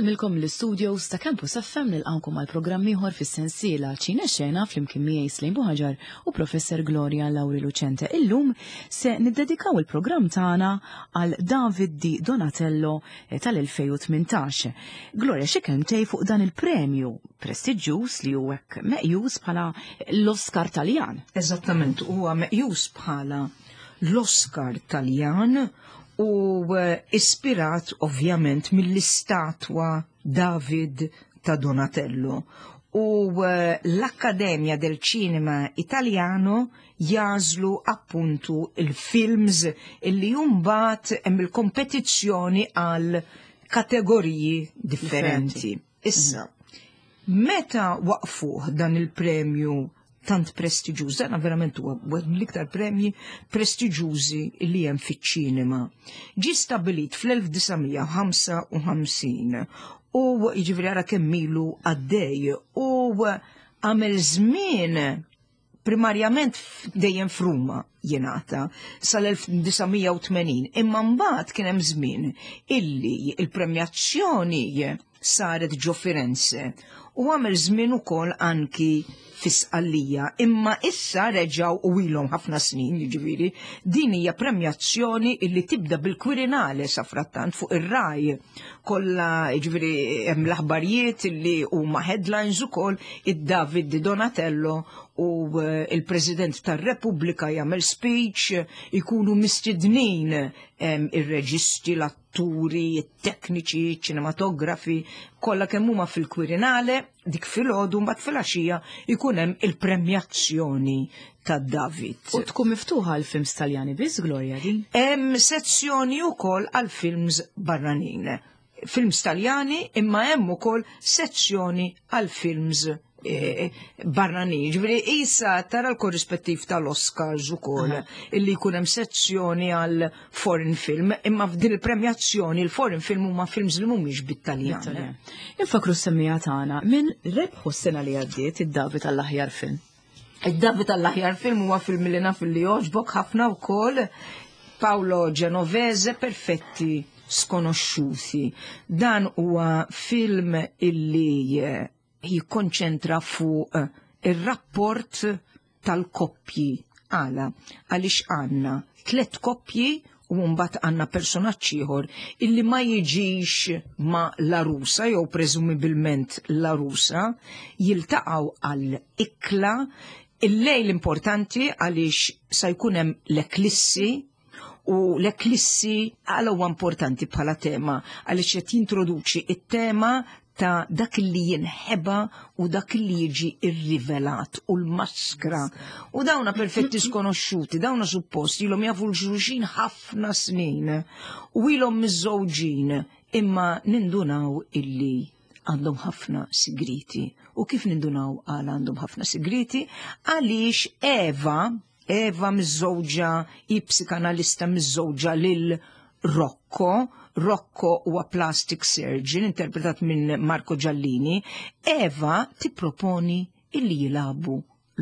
Insellmilkom l-istudios ta' Campus FM nilqawkom għal programm ieħor fis-sensiela Ċine Xena flimkien miegħi Slejn Buħaġar u Professor Gloria Lauri Lucente. Illum se niddedikaw il-programm tagħna għal David Di Donatello eh, tal-2018. Gloria xi kelmtej fuq dan il-premju prestiġjuż li hu hekk meqjus bħala l-Oscar Taljan. Eżattament, huwa meqjus bħala l-Oscar Taljan u eh, ispirat ovvjament mill-istatwa David ta' Donatello. U eh, l-Akkademja del Cinema Italiano jażlu appuntu il-films illi jumbat hemm il-kompetizzjoni għal kategoriji differenti. Issa, meta waqfuh dan il-premju tant prestiġjuż, dan verament huwa wieħed mill-iktar premji prestiġjużi li hemm fiċ-ċinema. Ġie stabbilit fl-1955 u jiġifieri ara kemm ilu għaddej u għamel żmien primarjament dejjem f'Ruma jingħata sal-1980, imma mbagħad kien hemm żmien illi il-premjazzjoni saret ġo Firenze u għamel żmien ukoll anki fi Sqallija, imma issa reġgħu u ilhom ħafna snin, jiġifieri, din hija premjazzjoni illi tibda bil-Quirinale sa frattant fuq ir-Rai kollha jiġifieri hemm l-aħbarijiet illi huma headlines ukoll id-David Di Donatello u eh, il-President tar-Repubblika jagħmel speech, ikunu mistednin ir-reġisti, l-atturi, it-tekniċi, ċinematografi, kollha kemm huma fil-Quirinale, dik filgħodu mbagħad filgħaxija jkun hemm il-premjazzjoni ta' David. U tkun miftuħa għal films Taljani biss, Gloria din? Hemm sezzjoni wkoll għal films barranin. Films Taljani imma hemm ukoll sezzjoni għal films eh, barranin. Ġifieri isa tara l-korrispettiv tal-Oscars ukoll illi jkun hemm sezzjoni għal foreign film, imma f'din il-premjazzjoni il-foreign film huma films li mhumiex bit-Taljan. Infakru s-semmija tagħna minn rebħu s-sena li għaddiet id-David għall-aħjar film. Id-David għall-aħjar film huwa film li naf li jogħġbok ħafna wkoll Paolo Genovese Perfetti Skonoxxuti. Dan huwa film illi eh, jikkonċentra fuq eh, ir-rapport tal-koppji. Għala, għaliex għandna tlet koppji u mbagħad għandna personaġġ ieħor illi ma jiġix ma l-arusa jew preżumibilment l-arusa jiltaqgħu għal ikla il-lejl importanti għaliex sa jkun hemm l-eklissi u l-eklissi għala huwa importanti bħala tema għaliex qed jintroduċi it-tema ta' dak li jinħeba u dak li jiġi irrivelat u l-maskra. U dawna perfetti skonoxxuti, dawna suppost ilhom jafu l-xulxin ħafna snin u ilhom miżżewġin imma nindunaw illi għandhom ħafna sigriti. U kif nindunaw għal għandhom ħafna sigriti? Għaliex Eva, Eva miżżewġa hi psikanalista miżżewġa lil Rocco, Rocco huwa plastic surgeon interpretat minn Marco Giallini, Eva tipproponi illi jilagħbu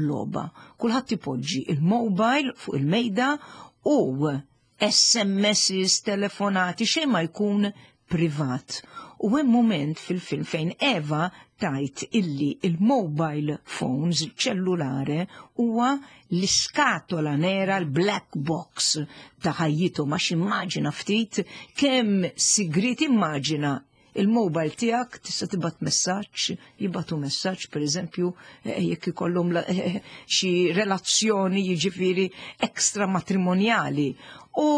logħba. Kulħadd ipoġġi il-mobile fuq il-mejda u SMSs, telefonati, xejn ma jkun privat. U hemm mument fil-film fejn Eva tajt illi il-mobile phones, il-ċellulare, huwa l-iskatola nera, l-black box ta' ħajjitu ma immaġina ftit kemm sigriet immaġina il-mobile tiegħek tista' tibgħat messaġġ, jibgħatu messaġġ pereżempju eh, jekk ikollhom eh, eh, xi relazzjoni jiġifieri ekstra matrimonjali. U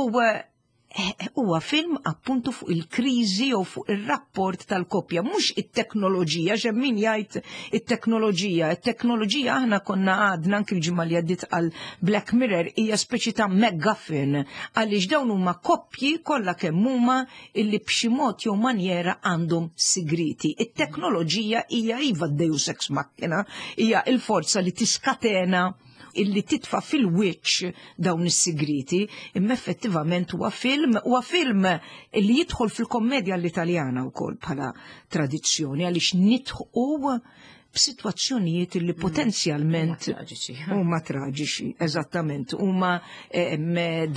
huwa film appuntu fuq il-kriżi jew fuq ir-rapport tal-koppja, mhux it-teknoloġija, x'hemm min jgħid it-teknoloġija. It-teknoloġija aħna konna għadna anki l-ġimgħa li għaddiet għal Black Mirror hija speċi ta' MacGuffin għaliex dawn huma koppji kollha kemm huma illi b'xi mod jew manjera għandhom sigriti. It-teknoloġija hija iva d-deus ex machina, hija il-forza li tiskatena illi titfa fil-wiċċ dawn is-sigriti, imma effettivament huwa film, huwa film illi jidħol fil-kommedja l-Italjana wkoll bħala tradizzjoni għaliex nidħqu. b'sitwazzjonijiet li potenzjalment huma traġiċi, eżattament, huma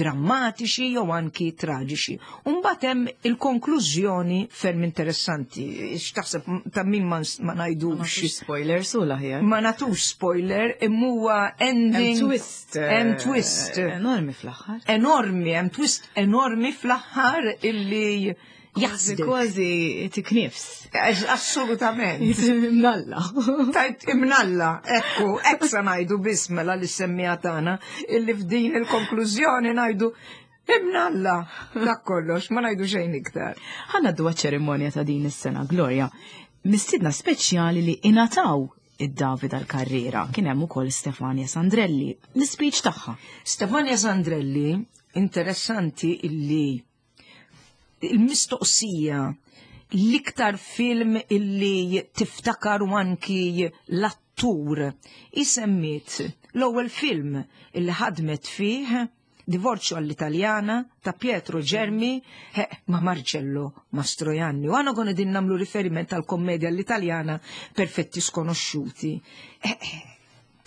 drammatiċi jew anki traġiċi. Mbagħad hemm il-konklużjoni ferm interessanti. X'taħseb ta' min ma ngħidux. Ma spoiler su l-aħjar. Ma nagħtux spoiler, imma huwa ending. Hemm twist. Hemm twist. Enormi fl-aħħar. Enormi, hemm twist enormi fl-aħħar illi Jaħsdek. Kważi tiknifs. Assolutament. Imnalla. Tajt imnalla, ekku, ekk sa ngħidu biss mela li semmija tagħna illi f'din il-konklużjoni ngħidu imnalla. Dak kollox, ma ngħidu xejn iktar. Ħa ngħaddu ċerimonja ta' din is-sena, Gloria. Mistiedna speċjali li ingħataw id-David għal-karriera kien hemm ukoll Stefania Sandrelli, l-speech tagħha. Stefania Sandrelli, interessanti illi il-mistoqsija l-iktar film illi tiftakar u anki l-attur isemmiet l-ewwel film illi ħadmet fih Divorzio all'Italiana ta' Pietro Germi ma' Marcello Mastroianni. U għana konna din namlu riferiment tal kommedia all'Italiana Perfetti Sconosciuti.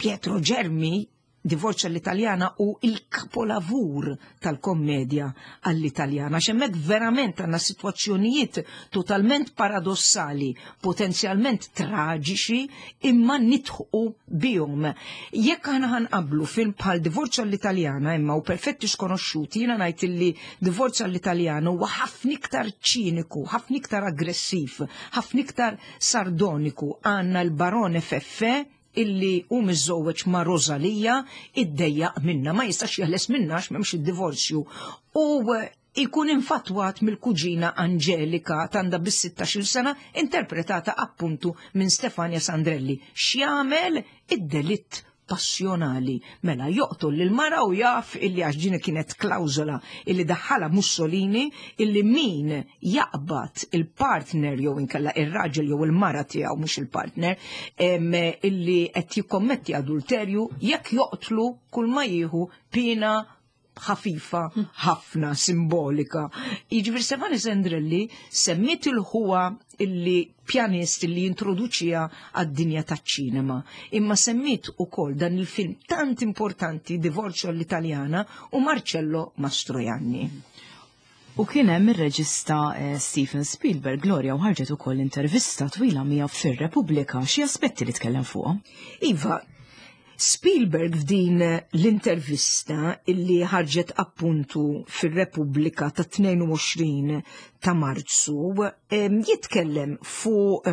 Pietro Germi Divorzio all'Italiana u il-kapolavur tal-kommedja all'Italjana. Xemmek verament għanna situazzjonijiet totalment paradossali, potenzjalment traġiċi, imma nitħu bihom. Jekk aħna ħanqablu film bħal Divorzio all'Italiana imma u Perfetti Sconosciuti, jiena ngħid illi Divorzio all'Italiana huwa ħafna iktar ċiniku, ħafna iktar aggressiv, ħafna iktar sardoniku. Għandna l-Barone Feffe illi hu miżżewweġ ma' Rosalia iddejjaq minna, ma jistax jeħles minna għax m'hemmx id-divorzju. U ikun infatwat mill-kuġina Angelika t'għandha biss 16-il sena, interpretata appuntu minn Stefania Sandrelli. X'jagħmel? Id-delitt passjonali. Mela joqtol lil mara u jaf illi għax din kienet klawżola illi daħħalha Mussolini illi min jaqbad il-partner jew inkella ir-raġel jew il-mara tiegħu mhux il-partner illi qed jikkommetti adulterju jekk joqtlu kull ma jieħu pina ħafifa ħafna simbolika. Jiġifieri Stefani Sandrelli semmiet il-ħuwa illi pjanist illi jintroduċija għad-dinja taċ-ċinema. Imma semmiet ukoll dan il-film tant importanti Divorzio all'Italiana u Marcello Mastroianni. U kien hemm ir-reġista eh, Steven Spielberg, Gloria, u ħarġet ukoll intervista twila miegħu fir-Repubblika, xi aspetti li tkellem fuqhom. Iva, Spielberg f'din l-intervista illi ħarġet appuntu fir-Repubblika ta' 22 ta' Marzu jitkellem fuq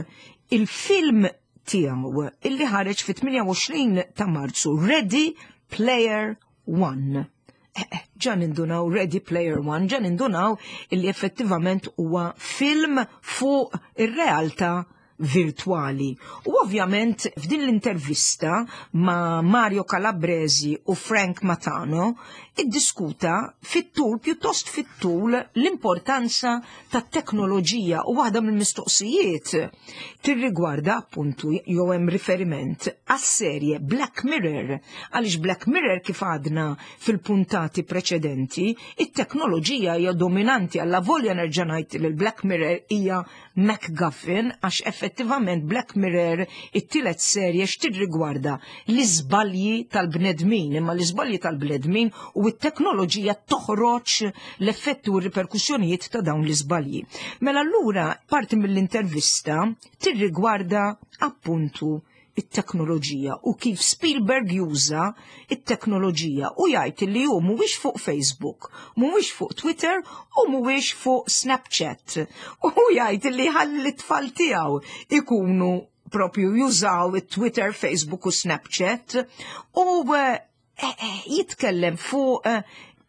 il-film tiegħu illi ħareġ fit-28 ta' Marzu Ready Player One. Eh, eh, ġa nindunaw Ready Player One, ġa nindunaw illi effettivament huwa film fuq ir-realtà virtwali. U ovvjament f'din l-intervista ma' Mario Calabresi u Frank Matano iddiskuta fit-tul, pjuttost fit-tul, l-importanza tat-teknoloġija u waħda mill-mistoqsijiet tirrigwarda appuntu jew hemm riferiment għas-serje Black Mirror għaliex Black Mirror kif għadna fil-puntati preċedenti, it-teknoloġija hija dominanti alla volja nerġa' ngħid li l-Black Mirror hija MacGuffin għax effettivament Black Mirror it-tielet serje x'tirrigwarda l-iżbalji tal-bnedmin, imma l-iżbalji tal-bnedmin u t-teknoloġija toħroġ l-effetti u r-riperkussjonijiet ta' dawn l-iżbalji. Mela allura parti mill-intervista tirrigwarda appuntu it-teknoloġija u kif Spielberg juża it-teknoloġija u jgħid li hu mhuwiex fuq Facebook, mhuwiex fuq Twitter u mhuwiex fuq Snapchat. U jgħid li ħalli t-tfal tiegħu ikunu propju jużaw it-Twitter, Facebook u Snapchat u eh, eh, eh, jitkellem fuq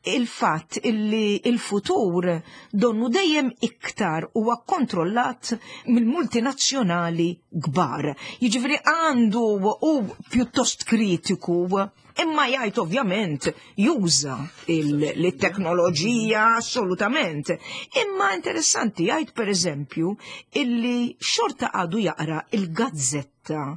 il-fatt illi il-futur donnu dejjem iktar huwa kontrollat mill-multinazzjonali kbar. Jiġifieri għandu u pjuttost kritiku imma jgħid ovvjament juża il-teknoloġija assolutament. Imma interessanti jgħid pereżempju illi xorta għadu jaqra il-gazzetta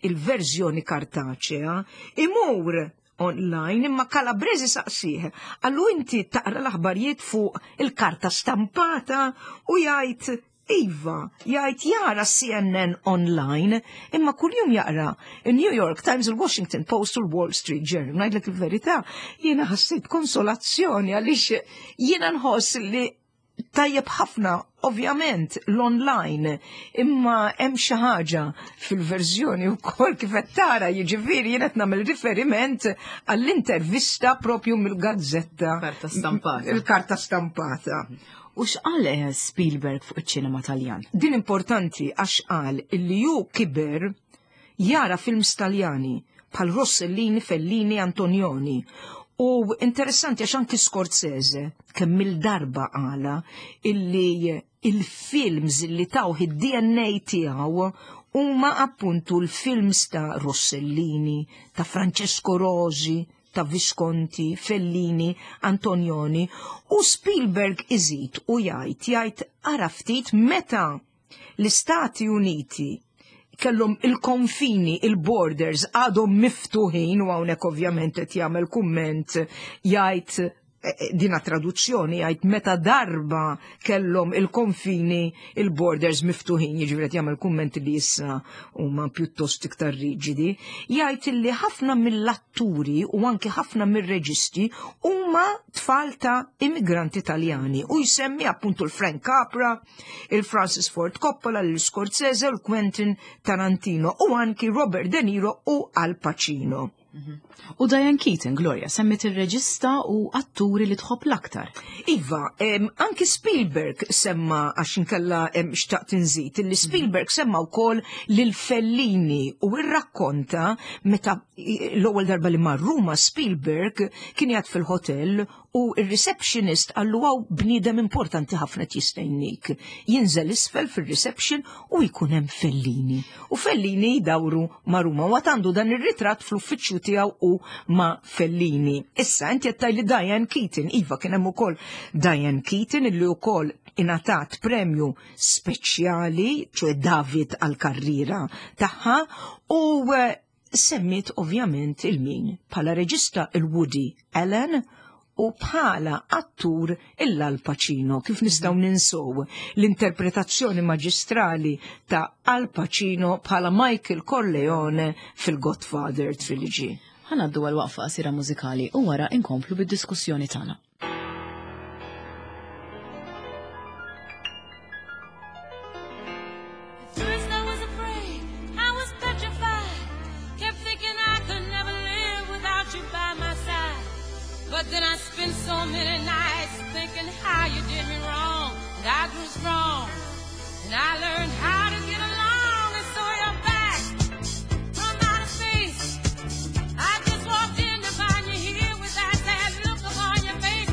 il-verżjoni kartaċea imur online imma Calabresi saqsih għallu inti taqra l-aħbarijiet fuq il-karta stampata u jgħid Iva, jgħid jara CNN online, imma kuljum jaqra il-New York Times, il-Washington Post u l-Wall Street Journal. Ngħidlek il-verità, jiena ħassejt konsolazzjoni għaliex jiena nħoss li tajjeb ħafna, ovvjament, l-online, imma hemm xi ħaġa fil-verżjoni wkoll kif qed tara, jiġifieri jien qed nagħmel riferiment għall-intervista propju mill-gazzetta. Karta stampata. Il-karta stampata. U x'qal eh, Spielberg fuq iċ-ċinema Taljan? Din importanti għax qal illi hu kiber jara films Taljani bħal Rossellini, Fellini, Antonioni. U interessanti għax anki Scorsese kemm il-darba qala illi il-films li tawh id-DNA tiegħu huma appuntu l-films ta' Rossellini, ta' Francesco Rosi, ta' Visconti, Fellini, Antonioni u Spielberg iżid u jgħid jgħid ara ftit meta l-Istati Uniti kellhom il-konfini, il-borders għadhom miftuħin u hawnhekk ovvjament qed jagħmel kumment jgħid eh, eh, dina traduzzjoni jgħid meta darba kellhom il-konfini, il-borders miftuħin, jiġifieri qed jagħmel kumment li issa huma pjuttost iktar riġidi, jgħid li ħafna mill-atturi u anki ħafna mir-reġisti huma tfal ta' immigranti Taljani u jsemmi appuntu l-Frank Capra, il-Francis Ford Coppola, l-Scorsese, l-Quentin Tarantino u anki Robert De Niro u Al Pacino. U Diane Keaton, Gloria, semmit il-reġista u atturi li tħobb l-aktar. Iva, anki Spielberg semma għax inkella xtaqt inżid, li Spielberg semma wkoll lil Fellini u rrakkonta meta l-ewwel darba li mar Ruma Spielberg kien jgħid fil-hotel u il-receptionist qallu hawn bniedem importanti ħafna jistennik. Jinżel isfel fil-reception u jkun hemm Fellini. U Fellini jdawru ma' Ruma u għandu dan ir-ritratt fl-uffiċċju tiegħu u ma' Fellini. Issa inti qed li Diane Keaton, iva kien hemm ukoll Diane Keaton illi wkoll ingħatat premju speċjali, ċoè David għal-karriera tagħha u eh, semmit ovvjament il-min bħala reġista il-Woody Allen u bħala attur il-Al Pacino. Kif nistgħu ninsow l-interpretazzjoni maġistrali ta' Al Pacino bħala Michael Corleone fil-Godfather Trilogy. Ħa ngħaddu għal waqfa qasira mużikali u wara inkomplu bid-diskussjoni tagħna. First I was afraid, I was petrified. Kept thinking I could never live without you by my side. But then I spent so many nights thinking how you did me wrong. And I grew strong, and I learned how to get along. And so you're back from outer space. I just walked in to find you here with that sad look upon your face.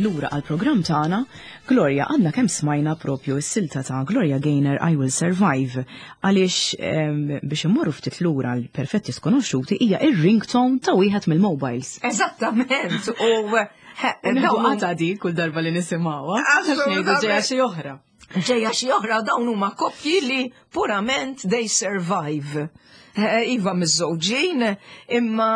Lura għall-programm tagħna, Gloria għandna kemm smajna propju s-silta ta' Gloria Gaynor I Will Survive għaliex biex immorru ftit lura l-perfetti skonoxxuti hija ir-ringtone ta' wieħed mill-mobiles. Eżattament, u għata di kull darba li nisimgħuha. Għax ngħidu ġejja xi oħra. Ġejja xi oħra dawn huma koppji li purament they survive. Eh, iva miż-żewġin, imma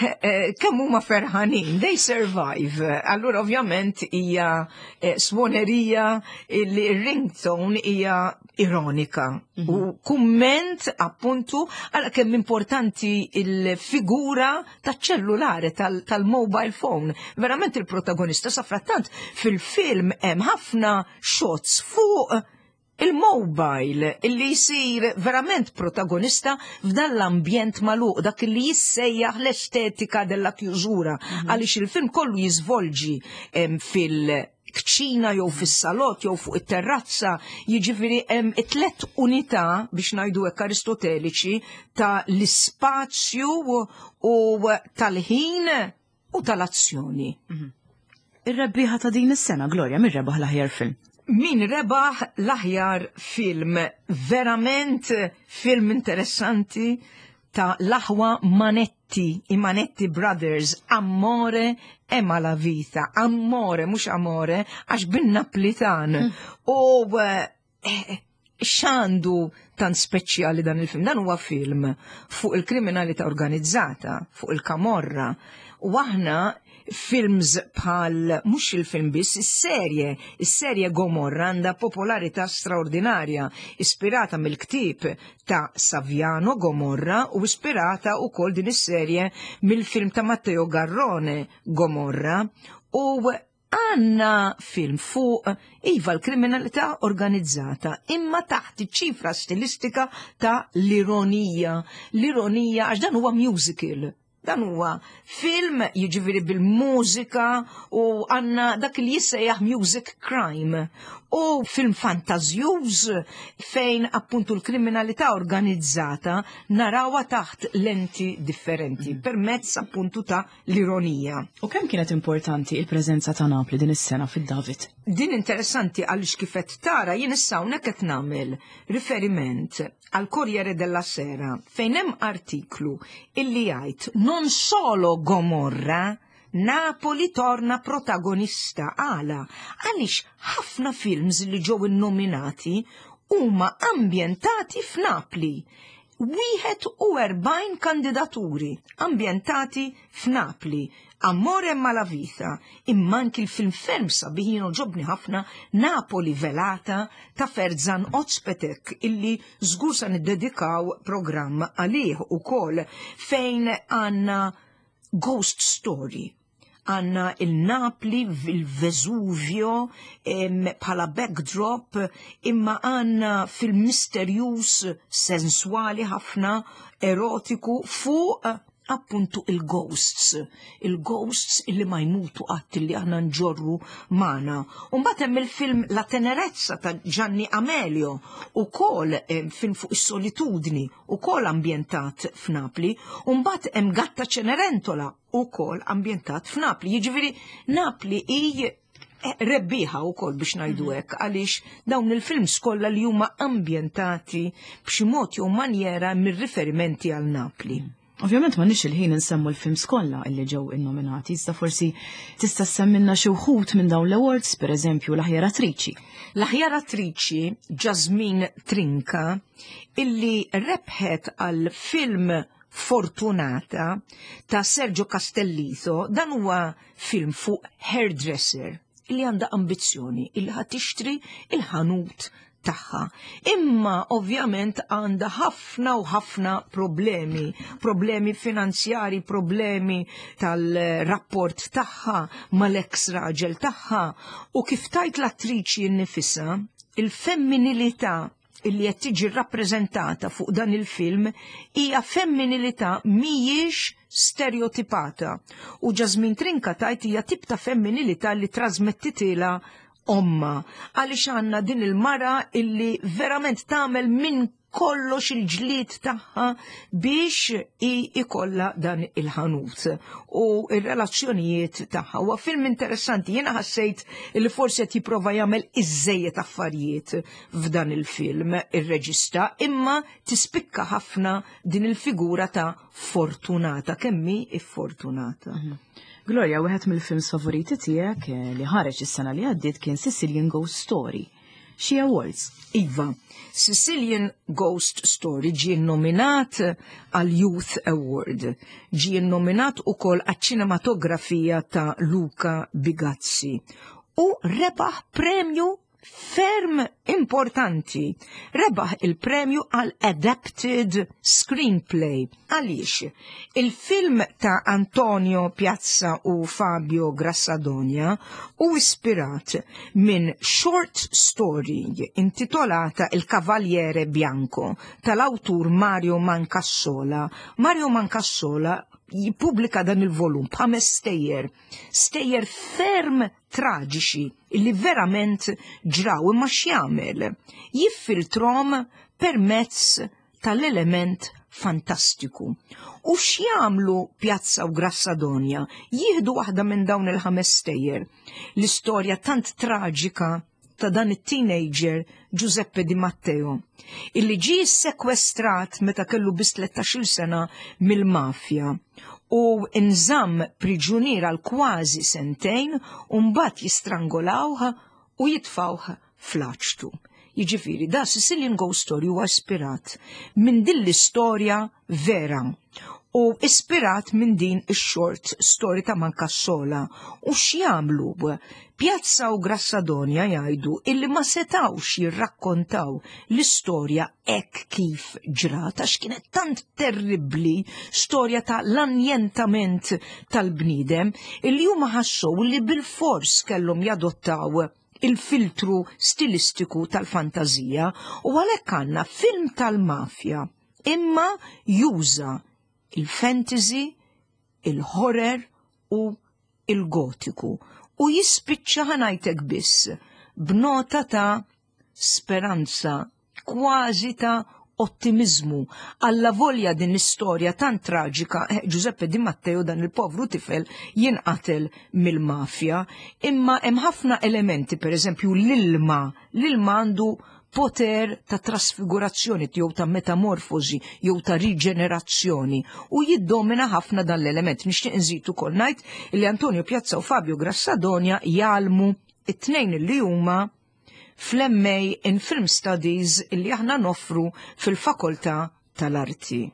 eh, eh, kemm huma ferħanin, they survive. Allura ovvjament hija swonerija li ringtone hija ironika mhm. u kumment appuntu għal kemm importanti il-figura taċ-ċellulari tal-mobile phone. Verament il-protagonista sa frattant fil-film hemm ħafna shots fuq il-mobile illi jsir verament protagonista f'dan l-ambjent magħluq dak li jissejjaħ l-estetika della chiusura mhm. għaliex il-film kollu jiżvolġi fil- kċina jew fis-salott jew fuq it-terrazza, jiġifieri hemm it-tlet unità biex ngħidu hekk Aristoteliċi ta' l-ispazju u tal-ħin u tal-azzjoni. Mhm. Ir-rebbieħa ta' din is-sena, Gloria, min rebaħ l-aħjar film? Min rebaħ l-aħjar film, verament film interessanti ta' l-aħwa Manetti, i Manetti Brothers, Amore e Malavita. Amore, mhux Amore, għax bin-Naplitan. Mm. U eh, x'għandu tant speċjali dan il-film? Dan huwa film fuq il-kriminalità organizzata, fuq il-kamorra. U aħna films bħal mhux il-film biss, is-serje, is-serje Gomorra għandha popolarità straordinarja, ispirata mill-ktieb ta' Saviano Gomorra u ispirata wkoll din is-serje mill-film ta' Matteo Garrone Gomorra. U għanna film fuq iva l-kriminalità organizzata imma taħt iċ-ċifra stilistika ta' l-ironija. L-ironija għax dan huwa musical. Dan huwa film jiġifieri bil-mużika u għandna dak li jissejjaħ music crime u film fantażjuż fejn appuntu l-kriminalità organizzata narawha taħt lenti differenti mm. permezz appuntu ta' l-ironija. U kemm kienet importanti il-preżenza ta' Napli din is-sena fid-David? Din interessanti għaliex kif qed tara jien issa hawnhekk qed nagħmel riferiment għal Corriere della Sera fejn hemm artiklu illi jgħid non solo Gomorra Napoli torna protagonista għala għaliex ħafna films li ġew innominati huma ambjentati f'Napli. 41 kandidaturi ambjentati f'Napli. Amore e Malavita, imma anki l-film ferm sabiħ jien għoġobni ħafna Napoli Velata ta' Ferzan Ozpetek illi żgur sa niddedikaw programm għalih ukoll fejn għandna ghost story għanna il-Napli, il-Vesuvio bħala backdrop, imma għanna fil-misterjus sensuali ħafna, erotiku, fuq appuntu il-ghosts, il-ghosts illi ma jmutu qatt illi aħna nġorru magħna. U mbagħad hemm il-film La Tenerezza ta' Gianni Amelio, ukoll eh, film fuq is-solitudni, ukoll ambjentat f'Napli, u mbagħad hemm Gatta Cenerentola, ukoll ambjentat f'Napli. Jiġifieri Napli hi eh, rebbieħa wkoll biex ngħidu mhm. hekk għaliex dawn il-films kollha li huma ambjentati b'xi mod jew manjera mir-riferimenti għal Napli. Mhm. Ovvjament ma nix il-ħin nsemmu l-films kollha illi ġew innominati, iżda forsi tista' semmilna xi wħud minn dawn l-awards, pereżempju l-aħjar attriċi. L-aħjar attriċi Jasmine Trinca illi rebħet għal film Fortunata ta' Sergio Castellitto, dan huwa film fuq hairdresser illi għandha ambizzjoni illi ħa tixtri il-ħanut tagħha. Imma ovvjament għandha ħafna u ħafna problemi, problemi finanzjari, problemi tal-rapport tagħha mal-eks raġel tagħha u kif tajt l-attriċi nnifisha, il-femminilità illi qed tiġi rappreżentata fuq dan il-film hija femminilità mhijiex stereotipata. U Jasmine Trinca tajt hija tip ta' femminilità li trasmettitilha omma għaliex għandna din il-mara illi verament tagħmel minn kollox il-ġlied tagħha biex i ikolla dan il-ħanut u il-relazzjonijiet tagħha. Huwa film interessanti, jiena ħassejt li forsi qed jipprova jagħmel iżejjed affarijiet f'dan il-film ir-reġista, imma tispikka ħafna din il-figura ta' Fortunata, kemm hi iffortunata. Gloria, wieħed mill-films favoriti tiegħek li ħareġ is-sena li għaddiet kien Sicilian Ghost Story. Xi awards? Iva, Sicilian Ghost Story ġie nominat għal Youth Award. Ġie nominat ukoll għaċ-ċinematografija ta' Luca Bigazzi u rebaħ premju ferm importanti. Rebaħ il-premju għal Adapted Screenplay. Għaliex? Il-film ta' Antonio Piazza u Fabio Grassadonia u ispirat minn short story intitolata Il Cavaliere Bianco tal-awtur Mario Mancassola. Mario Mancassola jippubblika dan il-volum b'ħames stejjer, stejjer ferm traġiċi li verament ġraw imma x'jagħmel? Jiffiltrom permezz tal-element fantastiku. U x'jagħmlu Pjazza u Grassadonja? Jieħdu waħda minn dawn il-ħames stejjer. L-istorja tant traġika ta' dan it-teenager Giuseppe Di Matteo, illi ġie sekwestrat meta kellu biss 13-il sena mill-mafja u nżamm priġunier għal kważi sentejn u mbagħad jistrangolawh u jitfawh fl-aċtu. Jiġifieri da Sicilian Ghost Story huwa ispirat minn din l-istorja vera u ispirat minn din ix-short story ta' Mancassola u x'jagħmlu Piazza u Grassadonja jgħidu illi ma setawx jirrakkontaw l-istorja hekk kif ġrat għax kienet tant terribbli storja ta' l-anjentament tal-bniedem illi huma ħassew li bilfors kellhom jadottaw il-filtru stilistiku tal-fantażija u għalhekk għandna film tal-mafja imma juża il-fantasy, il-horror u il-gotiku u jispiċċa ħanajtek biss b'nota ta' speranza, kważi ta' ottimizmu. Alla volja din l-istorja tant traġika, Giuseppe Di Matteo dan il-povru tifel jinqatel mill-mafja, imma hemm ħafna elementi, per eżempju l-ilma, l-ilma għandu poter ta' trasfigurazzjoni jew ta' metamorfosi jew ta' riġenerazzjoni u jiddomina ħafna dan l-element. Nixtieq nżid ukoll ngħid li Antonio Piazza u Fabio Grassadonia jgħallmu it-tnejn li huma fl-MA in Film Studies li aħna noffru fil-Fakoltà tal-Arti.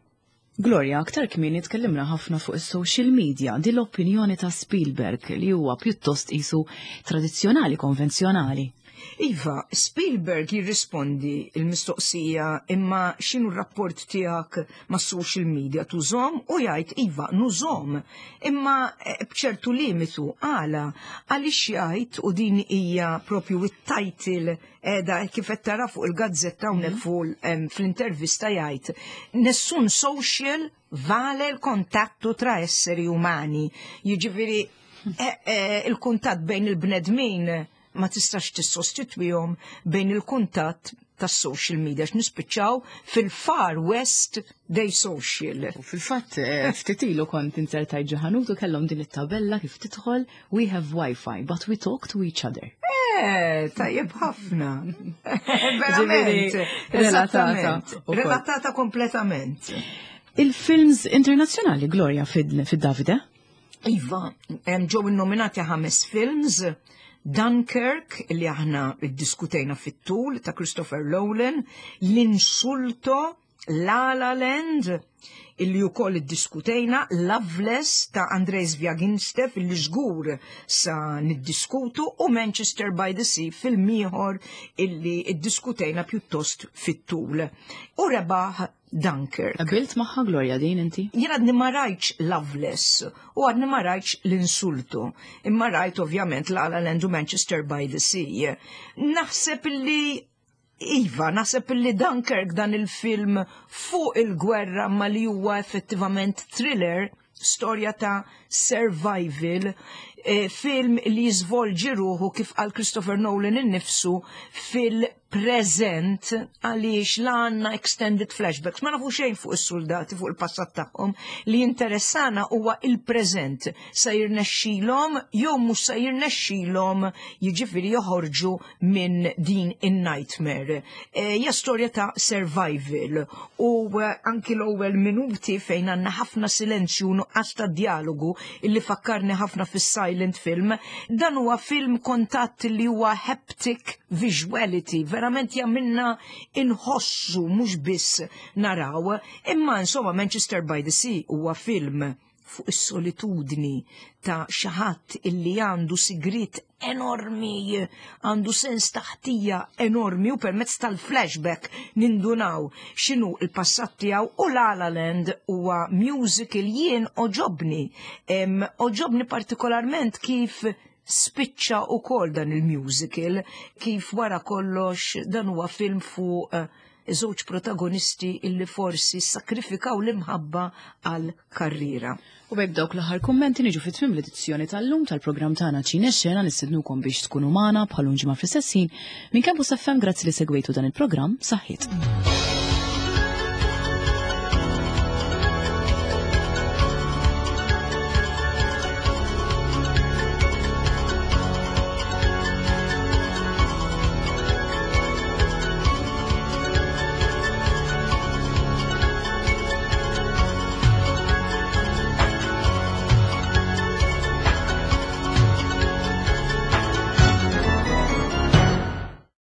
Gloria, aktar kmieni tkellimna ħafna fuq is-social media, din l-opinjoni ta' Spielberg li huwa pjuttost qisu tradizzjonali, konvenzjonali. Iva, Spielberg jirrispondi il-mistoqsija imma x'inhu r-rapport tiegħek ma' social media tużom u jgħid iva nużom imma b'ċertu limitu għala għaliex jgħid u din hija propju it-title edha kif qed tara fuq il-gazzetta hawnhekk fuq fl-intervista jgħid nessun social vale il-contatto tra esseri umani. Jiġifieri il-kuntatt bejn il-bnedmin ma tistax tissostitwihom bejn il-kuntatt tas-social media x'nispiċċaw fil-Far West Day Social. U fil-fatt ftit ilu kont inzertajt ġo ħanut u kellhom din it-tabella kif tidħol we have Wi-Fi but we talk to each other. Tajjeb ħafna. Verament. Relatata. Relatata kompletament. Il-films internazzjonali, Gloria, fid-Davide? Iva, ġew innominati 5 films. Dunkirk, li aħna iddiskutejna fit-tul, ta' Christopher Nolan, L'Insulto, La La Land, illi wkoll iddiskutejna, Loveless ta' Andrei Zvyagintsev, illi żgur sa niddiskutu, u Manchester by the Sea, film ieħor illi iddiskutejna pjuttost fit-tul. U rebaħ Dunkirk. Qabilt magħha Gloria din inti? Jien għadni ma rajtx Loveless u għadni ma rajtx L'Insulto, imma rajt ovvjament La La Land u Manchester by the Sea. Naħseb li Iva, naħseb li Dunkirk dan il-film fuq il-gwerra ma li huwa effettivament thriller, storja ta' survival, Film li jiżvolġi ruħu, kif qal Christopher Nolan innifsu, fil-preżent, għaliex la għandna extended flashbacks, ma nafu xejn fuq is-soldati, fuq il-passat tagħhom. Li interessana huwa il-preżent. Sa jirnexxilhom jew mhux sa jirnexxilhom, jiġifieri, joħorġu minn din in-nightmare? Hija storja ta' survival u anki l-ewwel minuti, fejn għandna ħafna silenzju, nuqqas ta' dialogu, illi fakkarni ħafna fis-silent film. Dan huwa film kontatt li huwa haptic visuality, verament jagħmilna inħossu, mhux biss naraw. Imma insomma, Manchester by the Sea huwa film fuq is-solitudni ta' xi ħadd illi għandu sigrit enormi, għandu sens ta' ħtija enormi, u permezz tal-flashback nindunaw x'inhu l-passat tiegħu. U La La Land huwa musical, jien għoġobni. Għoġobni partikolarment kif spiċċa ukoll dan il-musical, kif wara kollox dan huwa film fuq żewġ protagonisti illi forsi sakrifikaw l-imħabba għal karriera. U bejk dawk l-aħħar kummenti niġu fit tmiem l-edizzjoni tal-lum tal-programm tagħna Ċine Xena. Nistednukom biex tkunu magħna bħal ġimgħa fl-istess ħin. Minn Campus FM, grazzi li segwejtu dan il-programm, saħħiet.